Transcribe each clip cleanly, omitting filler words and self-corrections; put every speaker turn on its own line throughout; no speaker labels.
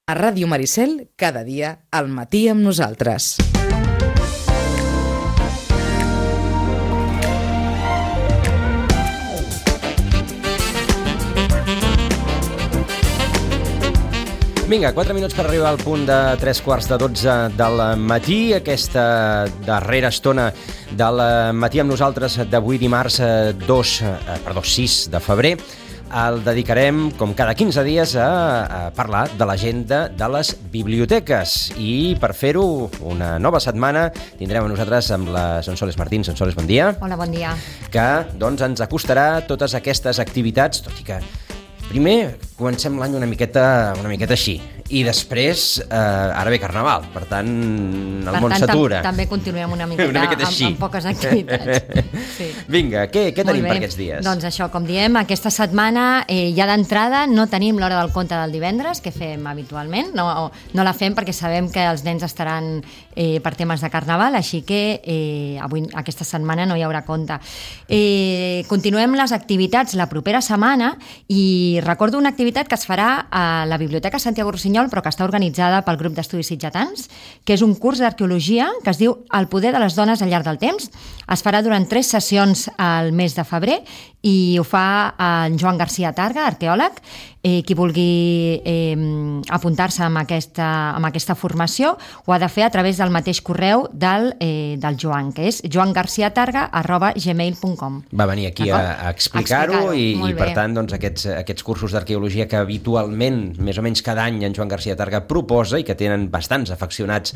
A Ràdio Maricel, cada dia, al matí amb nosaltres.
Vinga, 4 minuts per arribar al punt de 3:45 del matí. Aquesta darrera estona del matí amb nosaltres d'avui dimarts 6 de febrer el dedicarem, com cada 15 dies, a parlar de l'agenda de les biblioteques. I per fer-ho, una nova setmana, tindrem a nosaltres amb la Sonsoles Martín. Sonsoles, bon dia.
Hola, bon dia.
Que doncs, ens acostarà totes aquestes activitats, tot i que primer comencem l'any una miqueta així, i després ara ve Carnaval, per tant el món s'atura.
També continuem una miqueta amb poques activitats. Sí.
Vinga, què tenim per aquests dies?
Doncs això, com diem, aquesta setmana ja d'entrada no tenim l'hora del conte del divendres, que fem habitualment, no la fem perquè sabem que els nens estaran per temes de Carnaval, així que avui, aquesta setmana, no hi haurà conte. Continuem les activitats la propera setmana i recordo una activitat que es farà a la Biblioteca Santiago Rossinyol, però que està organitzada pel grup d'estudis sitgetans, que és un curs d'arqueologia que es diu El poder de les dones al llarg del temps. Es farà durant 3 sessions al mes de febrer i ho fa en Joan García Targa, arqueòleg. Qui vulgui apuntar-se amb aquesta formació ho ha de fer a través del mateix correu del Joan, que és joangarciatarga@gmail.com.
Va venir aquí a explicar-ho i per tant doncs, aquests cursos d'arqueologia que habitualment, més o menys cada any, en Joan García Targa proposa i que tenen bastants afeccionats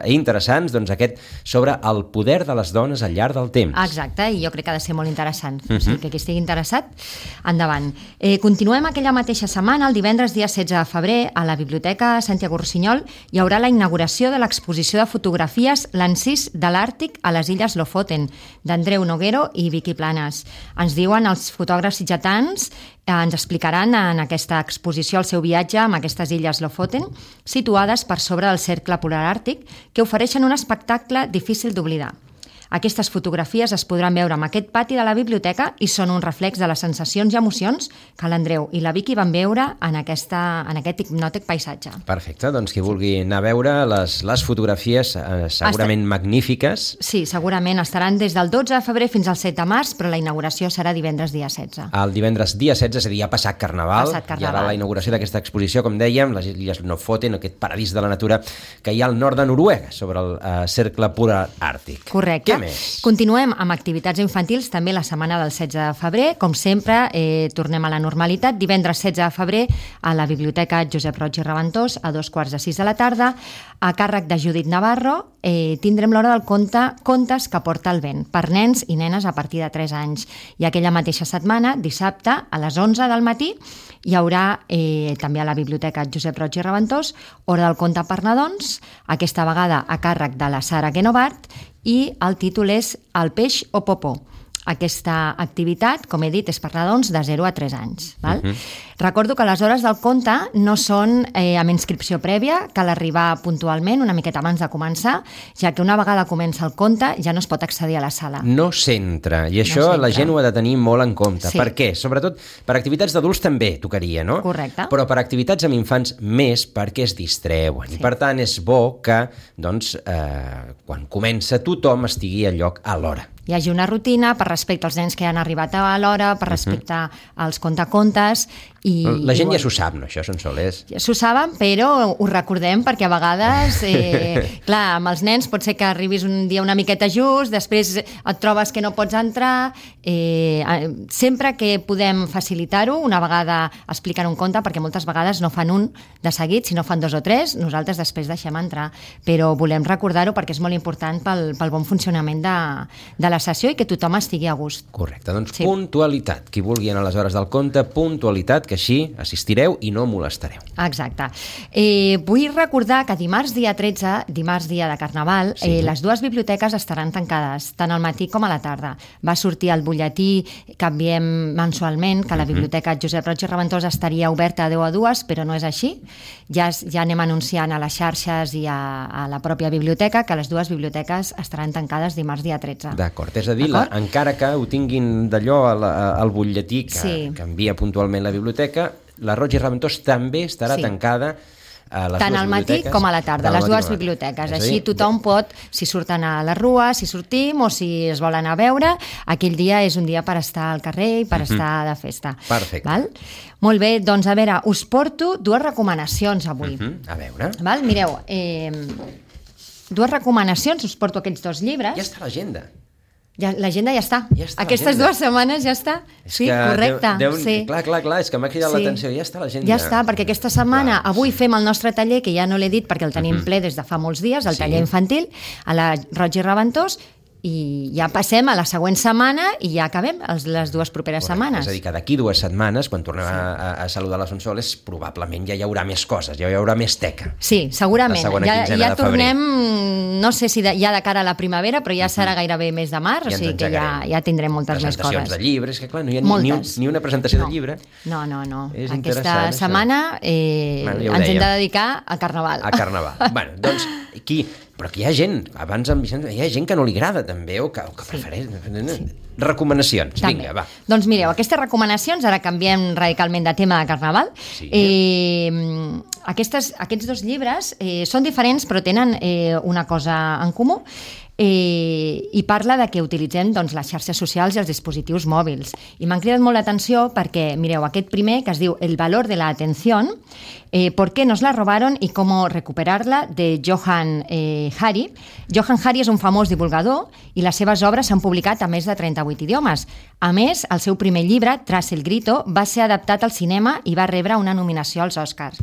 interessants, doncs aquest sobre el poder de les dones al llarg del temps.
Exacte, i jo crec que ha de ser molt interessant. O sigui, que qui estigui interessat, endavant. Continuem aquella mateixa setmana, el divendres dia 16 de febrer, a la Biblioteca Santiago Rossinyol hi haurà la inauguració de l'exposició de fotografies L'encís de l'Àrtic a les Illes Lofoten, d'Andreu Noguero i Vicky Planes. Ens diuen els fotògrafs sitgetans, ens explicaran en aquesta exposició el seu viatge amb aquestes illes Lofoten, situades per sobre del cercle polar àrtic, que ofereixen un espectacle difícil d'oblidar. Aquestes fotografies es podran veure en aquest pati de la biblioteca i són un reflex de les sensacions i emocions que l'Andreu i la Vicky van veure en aquest hipnòtic paisatge.
Perfecte, doncs qui vulgui anar a veure les fotografies segurament magnífiques.
Sí, segurament estaran des del 12 de febrer fins al 7 de març, però la inauguració serà divendres dia 16.
El divendres dia 16, és a dir, ja ha passat Carnaval, hi haurà la inauguració d'aquesta exposició, com dèiem, les Illes Lofoten, aquest paradís de la natura que hi ha al nord de Noruega, sobre el cercle polar àrtic.
Correcte.
Què més?
Continuem amb activitats infantils també la setmana del 16 de febrer. Com sempre, tornem a la normalitat. Divendres 16 de febrer a la Biblioteca Josep Roig i Reventós a 2:45 de la tarda. A càrrec de Judit Navarro tindrem l'hora del conte Contes que porta el vent, per nens i nenes a partir de 3 anys. I aquella mateixa setmana, dissabte, a les 11 del matí, hi haurà també a la Biblioteca Josep Roig i Reventós hora del conte per nadons, aquesta vegada a càrrec de la Sara Guenovart, i el títol és El peix o popó. Aquesta activitat, com he dit, és per nadons de 0 a 3 anys. Val? Recordo que les hores del conte no són amb inscripció prèvia, cal arribar puntualment, una miqueta abans de començar, ja que una vegada comença el conte ja no es pot accedir a la sala.
No s'entra, i això la gent ho ha de tenir molt en compte.
Sí.
Per què? Sobretot per activitats d'adults també tocaria, no?
Correcte.
Però per activitats amb infants més, perquè es distreuen. Sí. I per tant és bo que, doncs, quan comença tothom estigui al lloc a l'hora.
Hi hagi una rutina per respecte als nens que han arribat a l'hora, per respecte als contacontes.
La gent ja s'ho sap, no, això, Sonsoles?
Ja s'ho saben, però ho recordem perquè a vegades, clar, amb els nens pot ser que arribis un dia una miqueta just, després et trobes que no pots entrar. Sempre que podem facilitar-ho, una vegada expliquen un conte, perquè moltes vegades no fan un de seguit, sinó fan 2 o 3, nosaltres després deixem entrar. Però volem recordar-ho perquè és molt important pel bon funcionament de la sessió i que tothom estigui a gust.
Correcte, doncs sí. Puntualitat. Qui vulgui anar a les hores del conte, puntualitat, que així assistireu i no molestareu.
Exacte. Vull recordar que dimarts dia 13, dimarts dia de Carnaval, les 2 biblioteques estaran tancades, tant al matí com a la tarda. Va sortir el butlletí que enviem mensualment, que la Biblioteca Josep Roig i Reventós estaria oberta de 10 a 2, però no és així. Ja anem anunciant a les xarxes i a la pròpia biblioteca que les 2 biblioteques estaran tancades dimarts dia 13.
D'acord, és a dir, encara que ho tinguin d'allò al butlletí que envia puntualment la biblioteca, la Roig i Reventós també estarà tancada
tant al matí com a la tarda, les dues biblioteques. Així tothom pot, si surten a la rua, si sortim o si es volen anar a veure, aquell dia és un dia per estar al carrer i per estar de festa.
Perfecte.
Val? Molt bé, doncs a veure, us porto dues recomanacions avui.
A veure.
Val? Mireu, dues recomanacions, us porto aquests dos llibres.
Ja està l'agenda.
L'agenda ja està. Aquestes 2 setmanes ja està. Sí, correcte.
Clar, és que m'ha cridat l'atenció. Ja està l'agenda.
Ja està, perquè aquesta setmana, avui fem el nostre taller, que ja no l'he dit perquè el tenim ple des de fa molts dies, el taller infantil, a la Roig i Reventós, i ja passem a la següent setmana i ja acabem les 2 properes setmanes.
És a dir, que d'aquí 2 setmanes, quan tornem a saludar la Sonsoles, probablement ja hi haurà més coses, ja hi haurà més teca.
Sí, segurament. Ja tornem, no sé si ja de cara a la primavera, però ja serà gairebé mes de març, o sigui que ja tindrem moltes més coses.
Presentacions de llibres, que clar, no hi ha ni una presentació de llibre.
No. Aquesta setmana ens hem de dedicar al Carnaval.
A Carnaval. Bueno, doncs, però que hi ha gent, abans en Vicenç, hi ha gent que no li agrada també, o que prefereix... Recomanacions, vinga, va.
Doncs mireu, aquestes recomanacions, ara canviem radicalment de tema de Carnaval. Aquests 2 llibres són diferents però tenen una cosa en comú, i parla de que utilitzem les xarxes socials i els dispositius mòbils. I m'han cridat molt l'atenció perquè, mireu, aquest primer, que es diu El valor de la atención, ¿por qué nos la robaron y cómo recuperarla?, de Johann Hari. Johann Hari és un famós divulgador i les seves obres s'han publicat a més de 38 idiomes. A més, el seu primer llibre, Tras el grito, va ser adaptat al cinema i va rebre una nominació als Oscars.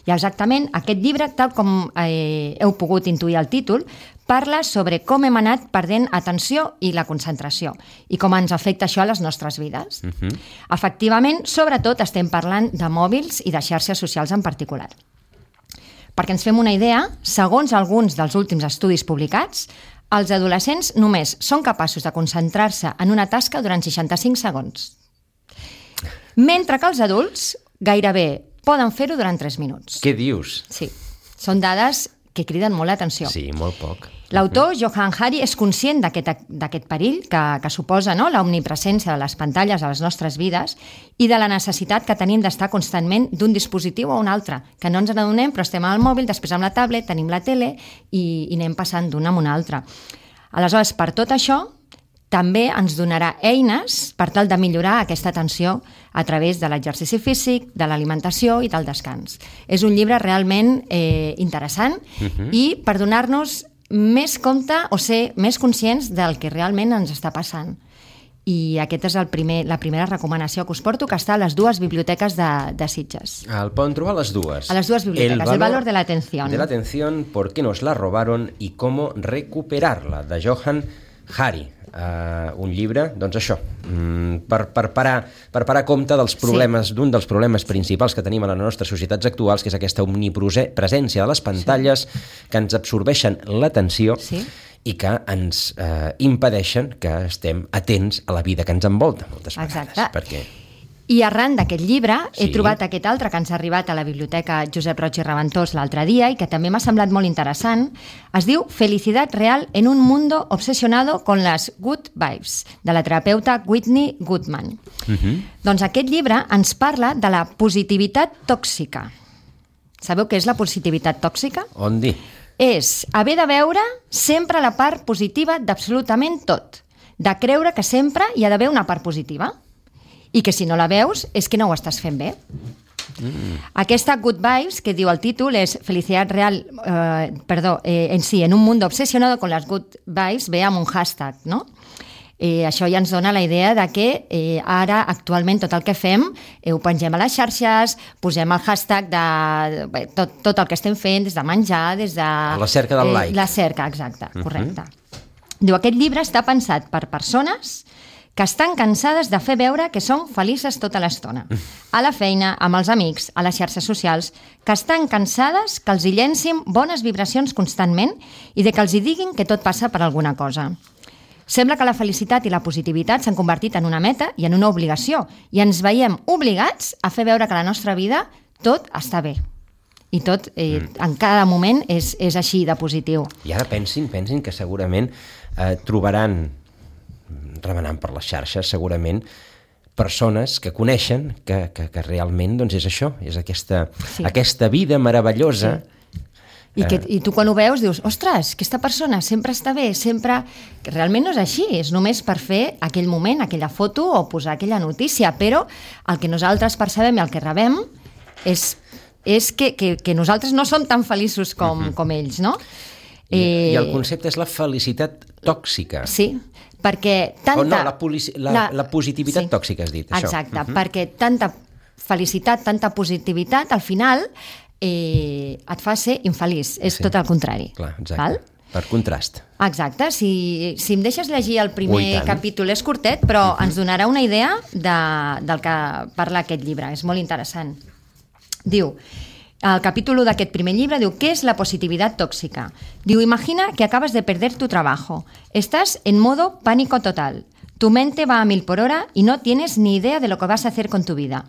I exactament aquest llibre, tal com heu pogut intuir el títol, parla sobre com hem anat perdent atenció i la concentració i com ens afecta això a les nostres vides. Efectivament, sobretot estem parlant de mòbils i de xarxes socials en particular. Perquè ens fem una idea, segons alguns dels últims estudis publicats, els adolescents només són capaços de concentrar-se en una tasca durant 65 segons. Mentre que els adults gairebé poden fer-ho durant 3 minuts.
Què dius?
Sí, són dades que criden molt l'atenció.
Sí, molt poc.
L'autor, Johann Hari, és conscient d'aquest perill que suposa l'omnipresència de les pantalles a les nostres vides i de la necessitat que tenim d'estar constantment d'un dispositiu a un altre, que no ens n'adonem, però estem al mòbil, després amb la tablet, tenim la tele i anem passant d'un amb un altre. Aleshores, per tot això, també ens donarà eines per tal de millorar aquesta atenció a través de l'exercici físic, de l'alimentació i del descans. És un llibre realment interessant i per donar-nos més compte o ser més conscients del que realment ens està passant. I aquesta és la primera recomanació que us porto, que està a les 2 biblioteques de Sitges.
El poden trobar a les 2.
A les 2 biblioteques, El valor de la atención.
De la atención, ¿por qué nos la robaron y cómo recuperarla?, de Johann Hari. Un llibre, doncs això, per parar compte dels problemes, d'un dels problemes principals que tenim a les nostres societats actuals, que és aquesta omnipresència de les pantalles que ens absorbeixen l'atenció i que ens impedeixen que estem atents a la vida que ens envolta moltes vegades.
Exacte. I arran d'aquest llibre he trobat aquest altre que ens ha arribat a la Biblioteca Josep Roig i Reventós l'altre dia i que també m'ha semblat molt interessant. Es diu Felicidad real en un mundo obsesionado con las good vibes, de la terapeuta Whitney Goodman. Doncs aquest llibre ens parla de la positivitat tòxica. Sabeu què és la positivitat tòxica?
On dir?
És haver de veure sempre la part positiva d'absolutament tot, de creure que sempre hi ha d'haver una part positiva. I que si no la veus és que no ho estàs fent bé. Aquesta Good Vibes, que diu el títol, és Felicidad real, en un mundo obsesionado con las good vibes, ve amb un hashtag, no? Això ja ens dona la idea de que ara, actualment, tot el que fem ho pengem a les xarxes, posem el hashtag de tot el que estem fent, des de menjar, des de...
La cerca del like.
La cerca, exacte, correcte. Diu, aquest llibre està pensat per persones que estan cansades de fer veure que són felices tota l'estona. A la feina, amb els amics, a les xarxes socials, que estan cansades que els hi llencin bones vibracions constantment i de que els hi diguin que tot passa per alguna cosa. Sembla que la felicitat i la positivitat s'han convertit en una meta i en una obligació, i ens veiem obligats a fer veure que a la nostra vida tot està bé. I tot, en cada moment, és així de positiu.
I ara pensin que segurament trobaran, remenant per les xarxes, segurament persones que coneixen que realment doncs, és això, és aquesta vida meravellosa.
I tu quan ho veus dius, ostres, aquesta persona sempre està bé, sempre... Que realment no és així, és només per fer aquell moment, aquella foto o posar aquella notícia, però el que nosaltres percebem i el que rebem és que nosaltres no som tan feliços com ells, no?
I el concepte és la felicitat tòxica.
Sí, perquè tanta...
la positivitat tòxica, has dit, això.
Exacte, perquè tanta felicitat, tanta positivitat, al final... et fa ser infeliç, és tot el contrari.
Clar, exacte. Per contrast.
Exacte, si em deixes llegir el primer capítol, és curtet, però ens donarà una idea del que parla aquest llibre, és molt interessant. Diu, el capítol 1 d'aquest primer llibre diu, ¿qué es la positividad tóxica? Diu, imagina que acabas de perder tu trabajo, estás en modo pánico total, tu mente va a 1000 por hora y no tienes ni idea de lo que vas a hacer con tu vida.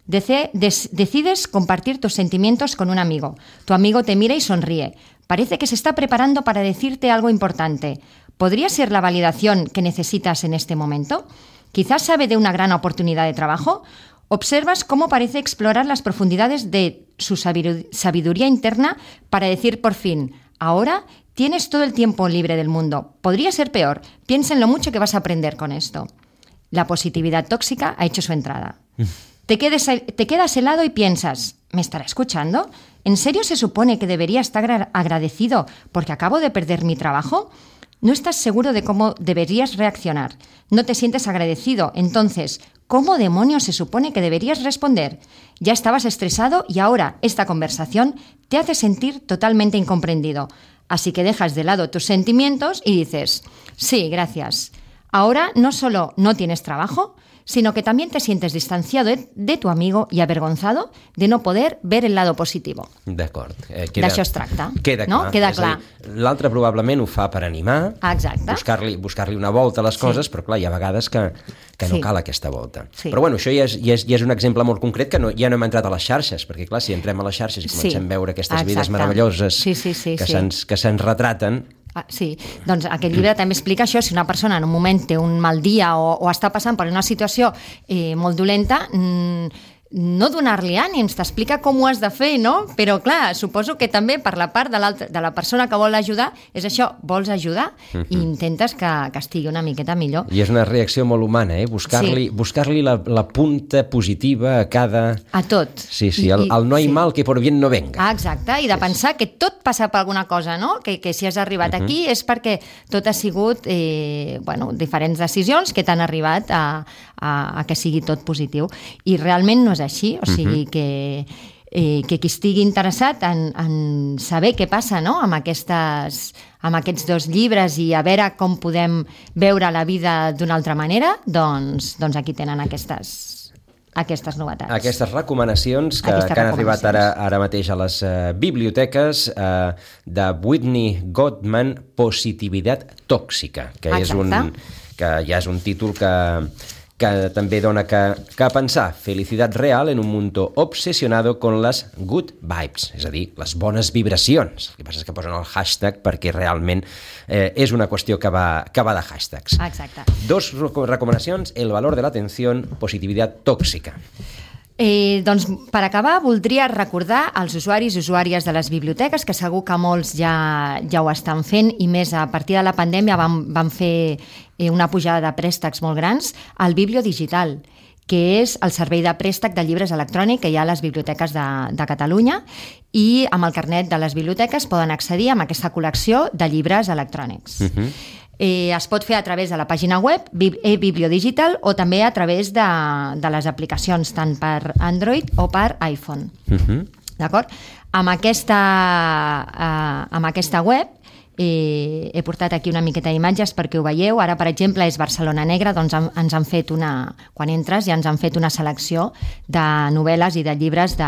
Decides compartir tus sentimientos con un amigo. Tu amigo te mira y sonríe. Parece que se está preparando para decirte algo importante. ¿Podría ser la validación que necesitas en este momento? Quizás sabe de una gran oportunidad de trabajo. Observas cómo parece explorar las profundidades de su sabiduría interna para decir por fin, ahora tienes todo el tiempo libre del mundo. Podría ser peor. Piensa en lo mucho que vas a aprender con esto. La positividad tóxica ha hecho su entrada. Te quedas helado y piensas, ¿me estará escuchando? ¿En serio se supone que debería estar agradecido porque acabo de perder mi trabajo? No estás seguro de cómo deberías reaccionar. No te sientes agradecido. Entonces, ¿cómo demonios se supone que deberías responder? Ya estabas estresado y ahora esta conversación te hace sentir totalmente incomprendido. Así que dejas de lado tus sentimientos y dices, sí, gracias. Ahora no solo no tienes trabajo, sino que también te sientes distanciado de tu amigo y avergonzado de no poder ver el lado positivo.
D'acord.
D'això es tracta.
Queda clar.
No? Queda clar.
L'altre probablement ho fa per animar, buscar-li una volta a les coses, però clar, hi ha vegades que no cal aquesta volta. Sí. Però bueno, això ja és un exemple molt concret que ja no hem entrat a les xarxes, perquè clar, si entrem a les xarxes i comencem a veure aquestes vides meravelloses que se'ns retraten...
Sí, doncs aquest llibre també explica això, si una persona en un moment té un mal dia o està passant per una situació molt dolenta, no donar-li ànims, t'explica com ho has de fer, no? Però clar, suposo que també per la part de la persona que vol ajudar, és això, vols ajudar i intentes que estigui una miqueta millor.
I és una reacció molt humana, buscar-li la punta positiva a cada...
A tot.
Sí, el no hay mal que por bien no venga.
Exacte, i de pensar que tot passa per alguna cosa, no? Que si has arribat aquí és perquè tot ha sigut diferents decisions que t'han arribat a que sigui tot positiu. I realment no és així, o sigui que qui estigui interessat en saber què passa, no? amb aquests dos llibres i a veure com podem veure la vida d'una altra manera, doncs aquí tenen aquestes novetats.
Aquestes recomanacions que han arribat ara mateix a les biblioteques de Whitney Gottman, Positivitat tòxica, que ja és un títol que també dona que pensar. Felicitat real en un mundo obsesionado con las good vibes, és a dir, les bones vibracions. El que passa és que posen el hashtag perquè realment és una qüestió que va de hashtags.
Exacte.
2 recomanacions, el valor de l'atenció, positivitat tòxica.
Doncs per acabar voldria recordar als usuaris i usuàries de les biblioteques, que segur que molts ja ho estan fent, i més a partir de la pandèmia vam fer una pujada de préstecs molt grans, el Biblio Digital, que és el servei de préstec de llibres electrònic que hi ha a les biblioteques de Catalunya, i amb el carnet de les biblioteques poden accedir a aquesta col·lecció de llibres electrònics. Es pot fer a través de la pàgina web e-bibliodigital o també a través de les aplicacions tant per Android o per iPhone. D'acord? Amb aquesta web he portat aquí una miqueta d'imatges perquè ho veieu. Ara, per exemple, és Barcelona Negra, doncs ens han fet quan entres ja ens han fet una selecció de novel·les i de llibres de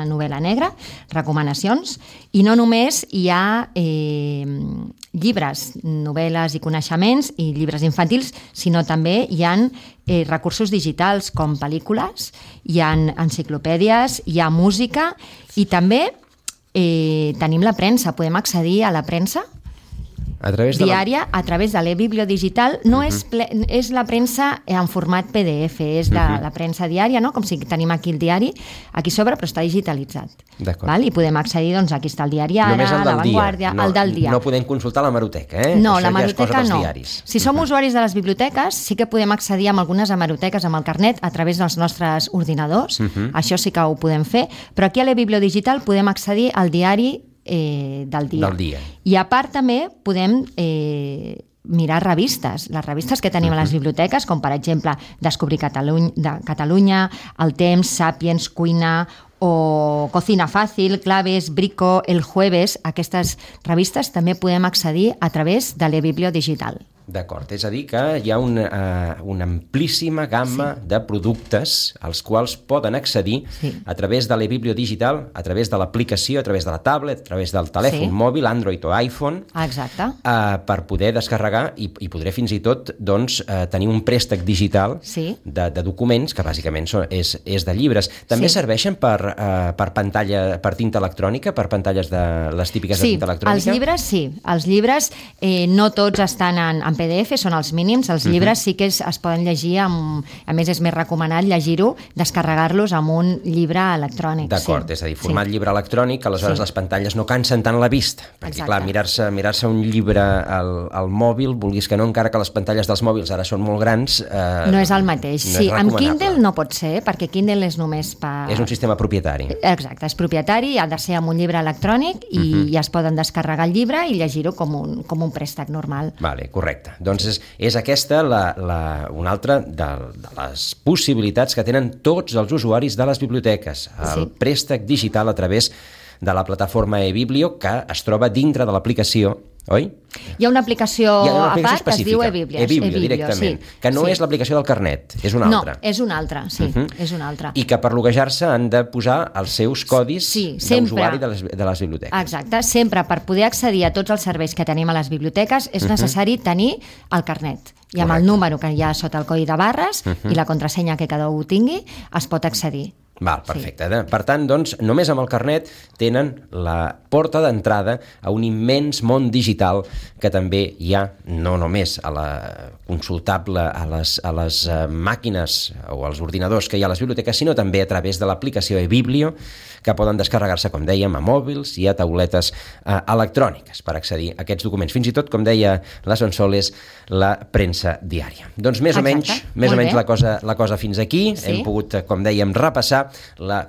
novel·la negra, recomanacions, i no només hi ha llibres, novel·les i coneixements i llibres infantils, sinó també hi ha recursos digitals com pel·lícules, hi ha enciclopèdies, hi ha música i també tenim la premsa, podem accedir a la premsa. diària a través de l'e-biblio digital. No és la premsa en format PDF, és la premsa diària, no? Com si tenim aquí el diari, aquí sobre, però està digitalitzat. Val? I podem accedir, doncs aquí està el diari Ara, La Vanguardia, el del dia.
No podem consultar la hemeroteca, eh?
No,
això
l'hemeroteca
ja
no.
Diaris.
Si som usuaris de les biblioteques, sí que podem accedir a algunes hemeroteques amb el carnet a través dels nostres ordinadors, això sí que ho podem fer, però aquí a l'e-biblio digital podem accedir al diari del dia. I a part també podem mirar revistes, les revistes que tenim a les biblioteques, com per exemple Descobrir Catalunya, El Temps, Sapiens, Cuina o Cocina Fàcil, Claves, Brico, El Jueves. Aquestes revistes també podem accedir a través de l'e-biblio digital.
D'acord, és a dir que hi ha una amplíssima gamma de productes als quals poden accedir a través de l'e-biblio digital, a través de l'aplicació, a través de la tablet, a través del telèfon mòbil, Android o iPhone, per poder descarregar i podré fins i tot tenir un préstec digital de documents, que bàsicament és de llibres. També serveixen per pantalla, per tinta electrònica, per pantalles de les típiques de tinta electrònica?
Els llibres sí. Els llibres no tots estan en PDF, són els mínims. Els llibres sí que es poden llegir, a més és més recomanat llegir-ho, descarregar-los amb un llibre electrònic.
D'acord, és a dir, format llibre electrònic, aleshores les pantalles no cansen tant la vista, perquè clar, mirar-se un llibre al mòbil, vulguis que no, encara que les pantalles dels mòbils ara són molt grans...
No és el mateix. Sí, amb Kindle no pot ser, perquè Kindle és només per...
És un sistema propietari.
Exacte, és propietari, ha de ser amb un llibre electrònic i es poden descarregar el llibre i llegir-ho com un préstec normal.
Vale, correcte. Doncs és aquesta una altra de les possibilitats que tenen tots els usuaris de les biblioteques. El préstec digital a través de la plataforma e-biblio, que es troba dintre de l'aplicació, oi?
Hi ha una aplicació a part que es diu e-biblio.
E-biblio, directament. Que no és l'aplicació del carnet, és una altra.
No, és una altra, sí, és una altra.
I que per loguejar-se han de posar els seus codis d'usuari de les biblioteques.
Exacte, sempre per poder accedir a tots els serveis que tenim a les biblioteques és necessari tenir el carnet. I amb el número que hi ha sota el codi de barres i la contrasenya que cada un tingui, es pot accedir.
Val, perfecte. Per tant, doncs, només amb el carnet tenen la porta d'entrada a un immens món digital que també hi ha, no només a la consultable a les màquines o als ordinadors que hi ha a les biblioteques, sinó també a través de l'aplicació e-biblio, que poden descarregar-se, com dèiem, a mòbils i a tauletes electròniques per accedir a aquests documents. Fins i tot, com deia la Sonsoles, la premsa diària. Doncs més o menys la cosa fins aquí. Hem pogut, com dèiem, repassar la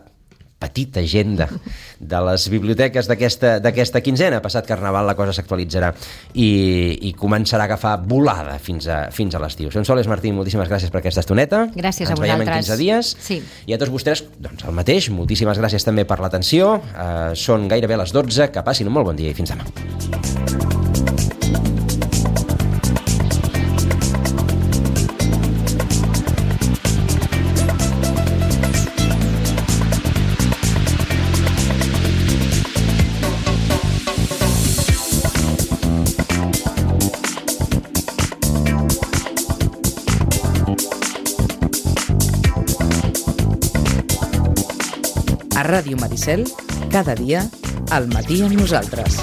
petita agenda de les biblioteques d'aquesta quinzena. Passat Carnaval la cosa s'actualitzarà i començarà a agafar volada fins a l'estiu. Sonsoles Martín, moltíssimes gràcies per aquesta estoneta.
Gràcies a vosaltres.
Ens veiem en 15 dies.
Sí.
I a tots vostès, doncs el mateix. Moltíssimes gràcies també per l'atenció. Són gairebé les 12. Que passin un molt bon dia i fins demà.
A Ràdio Maricel, cada dia, al matí amb nosaltres.